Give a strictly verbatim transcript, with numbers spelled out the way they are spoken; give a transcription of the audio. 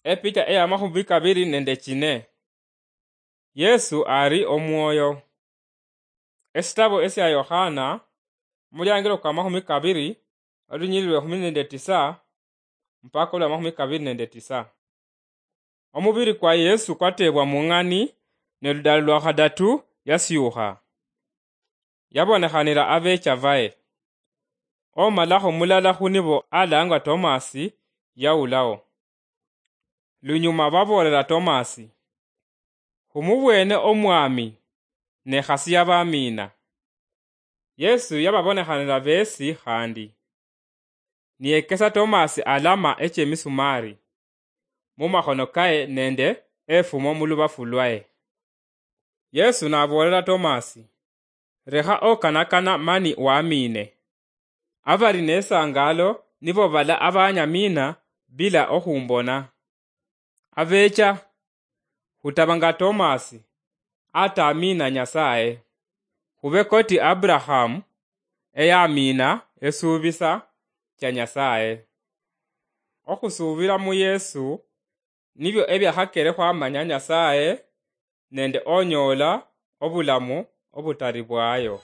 Epicha eya mahumi kabiri nende chine. Yesu ari omwoyo. Esitabo esia Yohana, omuliangiro kwa mahumi kabiri, olunyiriri lwa ehumi nende tisa mpaka olwa mahumi kabiri nende tisa. Omubiri kwa Yesu kwatebwa mung'ani, ne ludalo lwa khadatu yasiukha. Yabonekhanira abecha baye. Omalaho mulala khunibo alangwa Tomasi yaulaho. Lunyuma baboolera Tomasi, "Khumubwene Omwami, ne khasi yabamiina." Yesu yababonekhanira besi khandi, niyekesa Tomasi alama echemisumari mumakhono kaye nende efumo mulubafu lwaye. Yesu naboolera Tomasi, "Lekha okanakana mani wamiine." Abali nesangaalo nibo bala abanyamiina bila okhumbona. Abecha, khutaba nga Tomasi, atamiina Nyasaye, khube koti Abrahamu eyamiina esuubisa cha Nyasaye. Okhusuubira mu Yesu nibyo ebiakhakere khwamanya Nyasaye nende onyoola obulamu obutari bwayo.